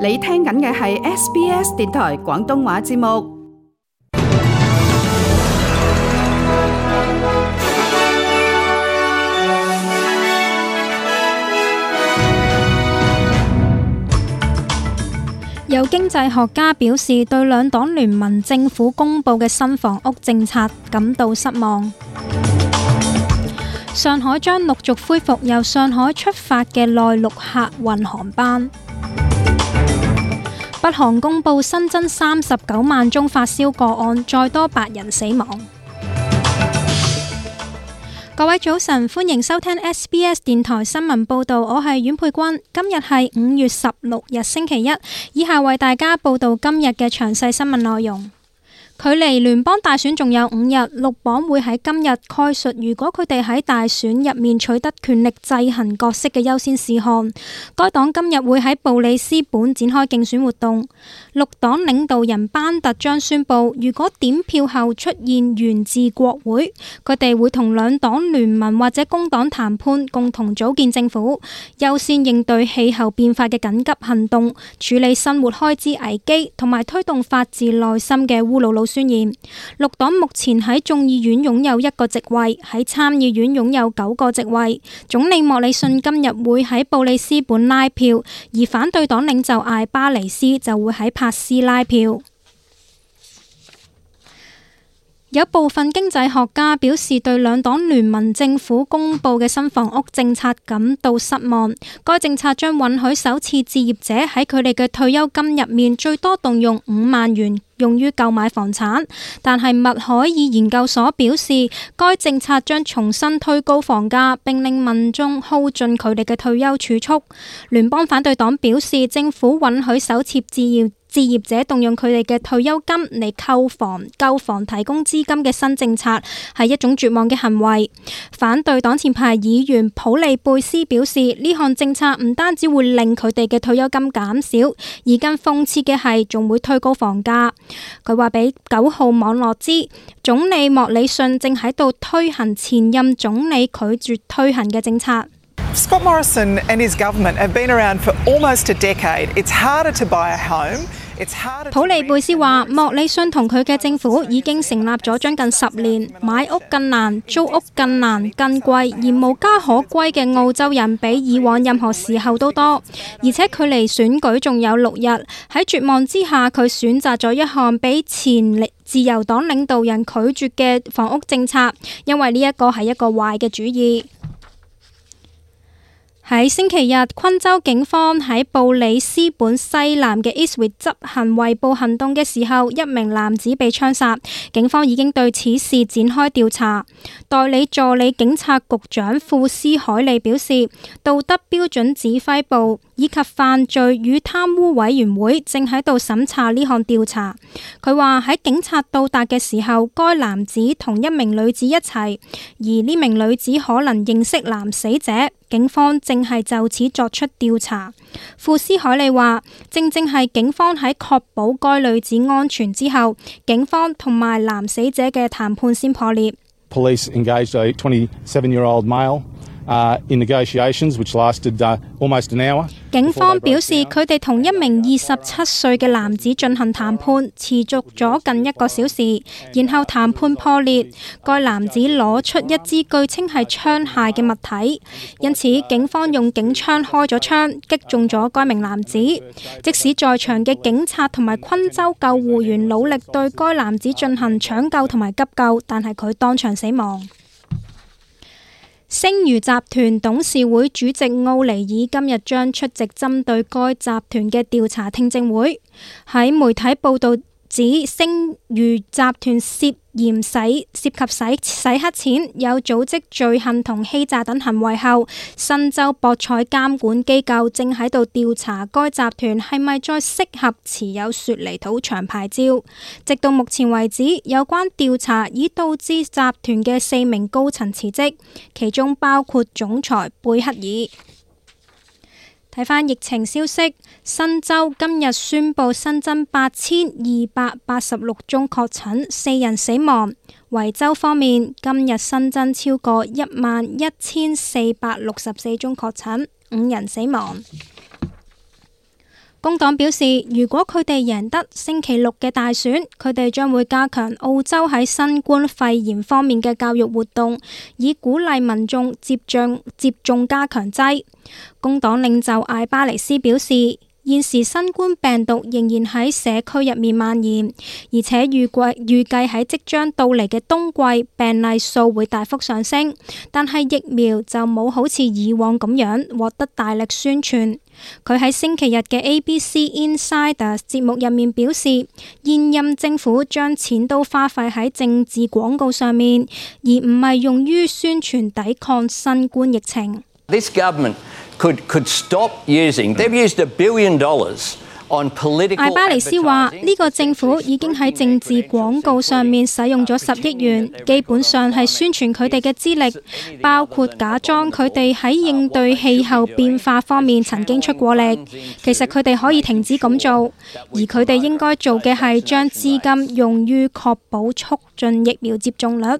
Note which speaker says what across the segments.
Speaker 1: 你聽緊嘅係 SBS 電台廣東話節目。
Speaker 2: 有經濟學家表示，對兩黨聯盟政府公布嘅新房屋政策感到失望。上海將陸續恢復由上海出發嘅內陸客運航班。北韓公布新增39萬宗發燒個案，再多8人死亡。各位早晨，歡迎收聽 SBS 電台新聞報道，我係阮佩君。今日係5月16日星期一，以下為大家報道今日嘅詳細新聞內容。距離聯邦大選仲有5日，綠黨會喺今日概述如果佢哋喺大選入面取得權力制衡角色嘅優先事項。該黨今日會喺布里斯本展開競選活動。綠黨領導人班特將宣布，如果點票後出現懸置國會，佢哋會同兩黨聯盟或者工黨談判，共同組建政府，優先應對氣候變化嘅緊急行動，處理生活開支危機，同埋推動發自內心嘅烏魯魯宣言。綠黨目前喺眾議院擁有1個席位，喺參議院擁有9個席位。總理莫里遜今日會喺布里斯本拉票，而反對黨領袖艾巴尼斯就會喺帕斯拉票。有部分經濟學家表示，對兩黨聯盟政府公布嘅新房屋政策感到失望。該政策將允許首次置業者喺佢哋嘅退休金入面最多動用5萬元用於購買房產，但係麥凱爾研究所表示，該政策將重新推高房價，並令民眾耗盡佢哋嘅退休儲蓄。聯邦反對黨表示，政府允許首次置業者動用佢哋嘅退休金嚟購房提供資金嘅新政策係一種絕望嘅行為。反對黨前排議員普利貝斯表示，呢項政策唔單止會令佢哋嘅退休金減少，而更諷刺嘅係仲會推高房價。佢話俾9號網絡知，總理莫里遜正喺度推行前任總理拒絕推行嘅政策。
Speaker 3: Scott Morrison and his government have been around for almost a decade. It's harder to buy a home.
Speaker 2: 普利貝斯話，莫里遜同佢嘅政府已經成立咗將近10年，買屋更難，租屋更難，更貴，而無家可歸嘅澳洲人比以往任何時候都多，而且距離選舉仲有6日。喺絕望之下，佢選擇咗一項比前自由黨領導人拒絕嘅房屋政策，因為呢一個係一個壞嘅主意。喺星期日，昆州警方喺布里斯本西南嘅 Eastwood 執行圍捕行動嘅時候，一名男子被槍殺。警方已經對此事展開調查。代理助理警察局長庫斯海利表示，道德標準指揮部以及犯罪與貪污委員會正喺度審查呢項調查。佢話喺警察到達嘅時候，該男子同一名女子一齊，而呢名女子可能認識男死者。警方正係就此作出調查。庫斯海利話，正係警方喺確保該女子安全之後，警方同埋男死者嘅談判先破裂。
Speaker 4: Police engaged a 27-year-old male in negotiations which lasted almost an hour.
Speaker 2: 警方表示，佢哋同一名27歲嘅男子進行談判，持續咗近1個小時，然後談判破裂。該男子攞出一支據稱係槍械嘅物體，因此警方用警槍開咗槍，擊中咗該名男子。即使在場嘅警察同埋昆州救護員努力對該男子進行搶救同埋急救，但係佢當場死亡。星魚集團董事會主席奧尼爾今日將出席針對該集團嘅調查聽證會。喺媒體報道指，星魚集團涉嫌涉及洗黑錢、有組織罪行同欺詐等行為後，新州博彩監管機構正喺度調查該集團係咪再適合持有雪梨土場牌照。直到目前為止，有關調查已導致集團嘅4名高層辭職，其中包括總裁貝克爾。睇返疫情消息，新州今日宣布新增8286宗確診，4人死亡。維州方面，今日新增超過11464宗確診，5人死亡。工黨表示，如果佢哋贏得星期六嘅大選，佢哋將會加強澳洲喺新冠肺炎方面嘅教育活動，以鼓勵民眾接種加強劑。工黨領袖艾巴尼斯表示，現時新冠病毒仍然喺社區入面蔓延，而且預計喺即將到嚟嘅冬季病例數會大幅上升，但係疫苗就冇好似以往咁樣獲得大力宣傳。佢喺星期日嘅 ABC Insider 節目入面表示，現任政府將錢都花費喺政治廣告上面，而唔係用於宣傳抵抗新冠疫情。
Speaker 5: This government could stop using. They've used $1 billion on political.
Speaker 2: 艾巴尼斯話：呢個政府已經喺政治廣告上面使用咗10億元，基本上係宣傳佢哋嘅資歷，包括假裝佢哋喺應對氣候變化方面曾經出過力。其實佢哋可以停止咁做，而佢哋應該做嘅係將資金用於確保促進疫苗接種率。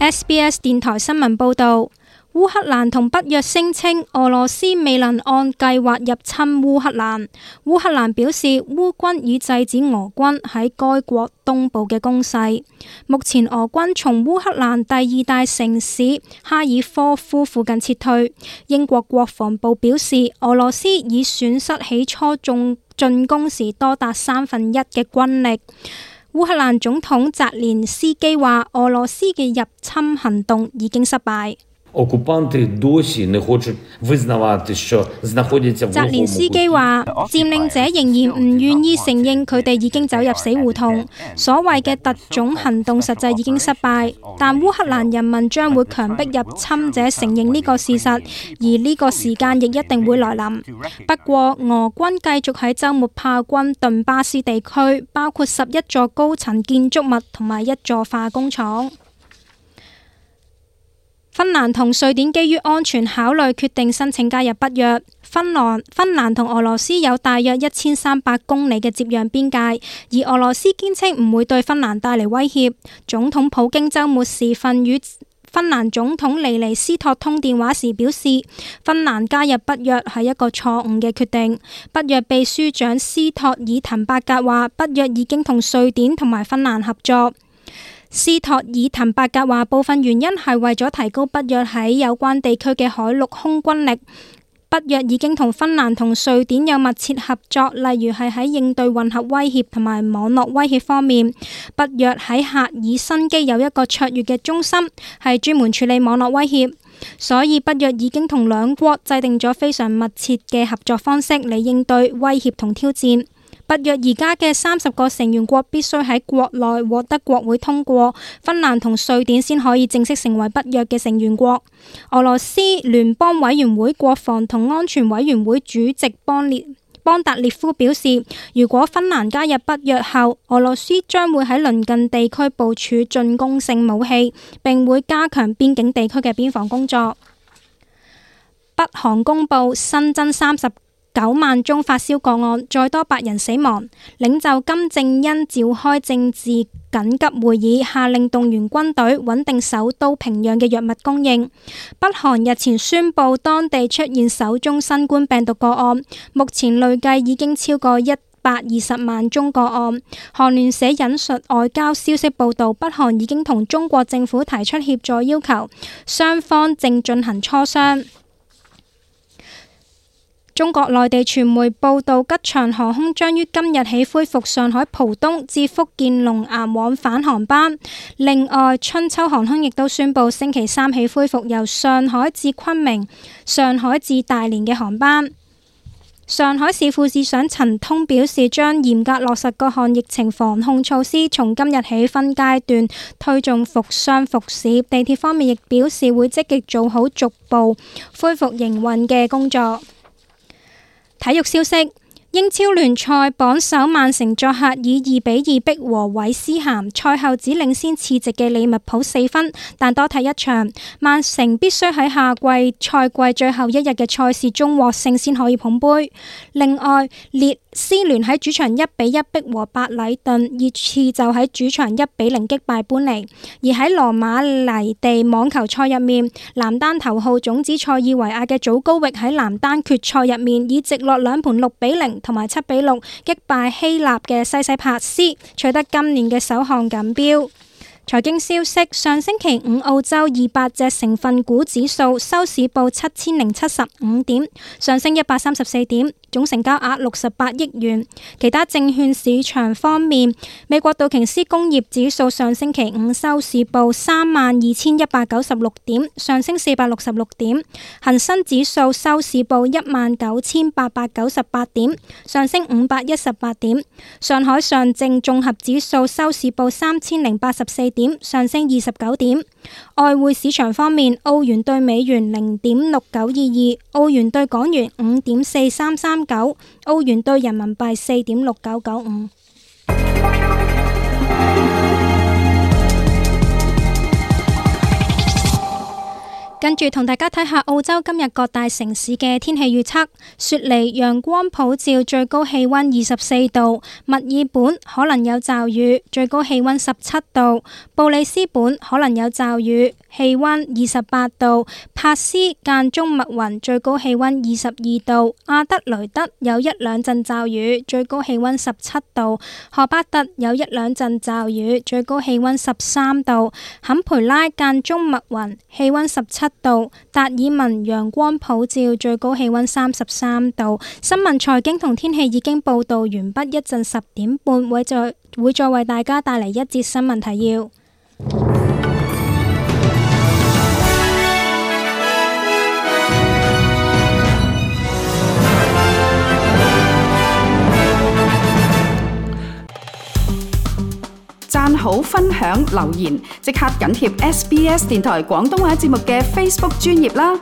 Speaker 2: SBS 電台新聞報導，烏克蘭同北約聲稱俄羅斯未能按計劃入侵烏克蘭。烏克蘭表示，烏軍已制止俄軍喺該國東部嘅攻勢。目前俄軍從烏克蘭第2大城市哈爾科夫附近撤退。英國國防部表示，俄羅斯已損失起初進攻時多達1/3嘅軍力。烏克蘭總統澤連斯基話，俄羅斯嘅入侵行動已經失敗。澤連斯基話，佔領者仍然唔願意承認佢哋已經走入死胡同，所謂嘅特種行動實際已經失敗，但烏克蘭人民將會強迫入侵者承認呢個事實，而呢個時間亦一定會來臨。不過，俄軍繼續喺週末炮轟頓巴斯地區，包括11座高層建築物同埋1座化工廠。芬蘭同瑞典基於安全考慮決定申請加入北約。芬蘭同俄羅斯有大約1300公里嘅接壤邊界，而俄羅斯堅稱唔會對芬蘭帶嚟威脅。總統普京週末時分與芬蘭總統尼尼斯托通電話時表示，芬蘭加入北約係一個錯誤嘅決定。北約秘書長斯托爾滕伯格話，北約已經同瑞典同埋芬蘭合作。斯托爾滕伯格話，部分原因係為咗提高北約喺有關地區嘅海陸空軍力。北約已經同芬蘭同瑞典有密切合作，例如係喺應對混合威脅同埋網絡威脅方面。北約喺赫爾辛基有一個卓越嘅中心，係專門處理網絡威脅，所以北約已經同兩國制定咗非常密切嘅合作方式嚟應對威脅同挑戰。北約而家嘅30個成員國必須喺國內獲得國會通過，芬蘭同瑞典先可以正式成為北約嘅成員國。俄羅斯聯邦委員會國防同安全委員會主席邦達列夫表示，如果芬蘭加入北約後，俄羅斯將會喺鄰近地區部署進攻性武器，並會加強邊境地區嘅邊防工作。北韓公布新增39萬宗發燒個案，再多8人死亡。領袖金正恩召開政治緊急會議，下令動員軍隊穩定首都平壤嘅藥物供應。北韓日前宣布當地出現首宗新冠病毒個案，目前累計已經超過120萬宗個案。韓聯社引述外交消息報道，北韓已經同中國政府提出協助要求，雙方正進行磋商。中國內地傳媒報道，吉祥航空將於今日起恢復上海浦東至福建龍岩往返航班。另外，春秋航空亦都宣布星期3起恢復由上海至昆明、上海至大連嘅航班。上海市副市長陳通表示，將嚴格落實各項疫情防控措施，從今日起分階段推進復商復市。地鐵方面亦表示會積極做好逐步恢復營運嘅工作。體育消息：英超聯賽榜首曼城作客以2-2逼和韋斯咸，賽後只領先次席嘅利物浦4分，但多踢一場，曼城必須喺賽季最後一日嘅賽事中獲勝先可以捧杯。另外，列 C 聯喺主場1-1逼和白禮頓，熱刺就喺主場1-0擊敗般尼。而喺羅馬尼地網球賽入面，男單頭號種子塞爾維亞嘅祖高域喺男單決賽入面以直落2盤6-0同埋7-6擊敗希臘嘅西西帕斯，取得今年嘅首項錦標。財經消息：上星期五澳洲200隻成分股指數收市報7075點，上升134點，總成交額68億元。其他證券市場方面，美國道瓊斯工業指數上星期五收市報32196點，上升466點；恒生指數收市報19898點，上升518點；上海上證綜合指數收市報3084點，上升29點。外匯市場方面，澳元兌美元0.6922，澳元兌港元5.4339，澳元兌人民幣4.6995。跟住同大家睇下澳洲今日各大城市嘅天氣預測。雪梨陽光普照，最高氣溫24度；墨爾本可能有驟雨，最高氣溫17度；布里斯本可能有驟雨，氣溫28度；珀斯間中密雲，最高氣溫22度；阿德雷德有1-2陣驟雨，最高氣溫17度；荷巴特有1-2陣驟雨，最高氣溫13度；坎培拉間中密雲，氣溫17度；達爾文陽光普照，最高氣溫33度。新聞財經同天氣已經報道完畢，一陣10點半會再為大家帶嚟一節新聞提要。
Speaker 1: 讚好、分享、留言，即刻緊貼SBS 電台廣東話節目嘅 Facebook 專頁啦！